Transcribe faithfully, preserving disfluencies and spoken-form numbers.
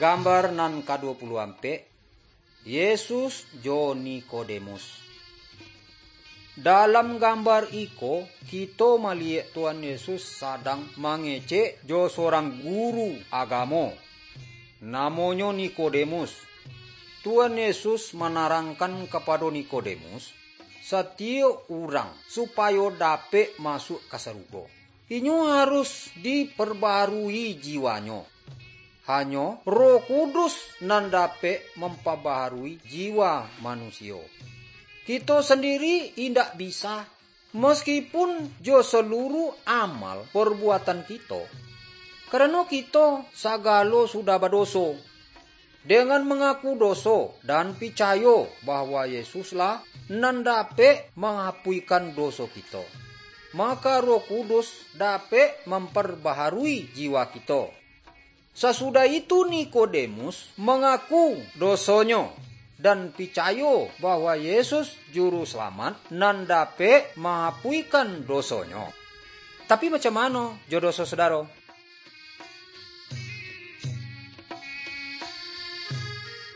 Gambar nan kaduo puluah ampek, Yesus jo Nikodemus. Dalam gambar iko, kito maliyek Tuhan Yesus sadang mangecek jo surang guru agamo, namonyo Nikodemus. Tuhan Yesus manarangkan kapado Nikodemus, satiyok urang supayo dapek masuak ka sarugo, inyo harus diparbaharui jiwanyo. Hanyo Roh Kudus nan dapek mampabaharui jiwa manusia. Kito sandiri indak bisa, maskipun jo saluruh amal parbuatan kito. Karano kito sagalo sudah badoso. Dengan mangaku doso dan picayo bahwa Yesuslah nan dapek mangapuikan doso kito, maka Roh Kudus dapek mamparbaharui jiwa kito. Sasudah itu Nikodemus mangaku dosonyo dan picayo bahwa Yesus Juru Salamat nan dapek mangapuikan dosonyo. Tapi macam mano jo doso sodaro?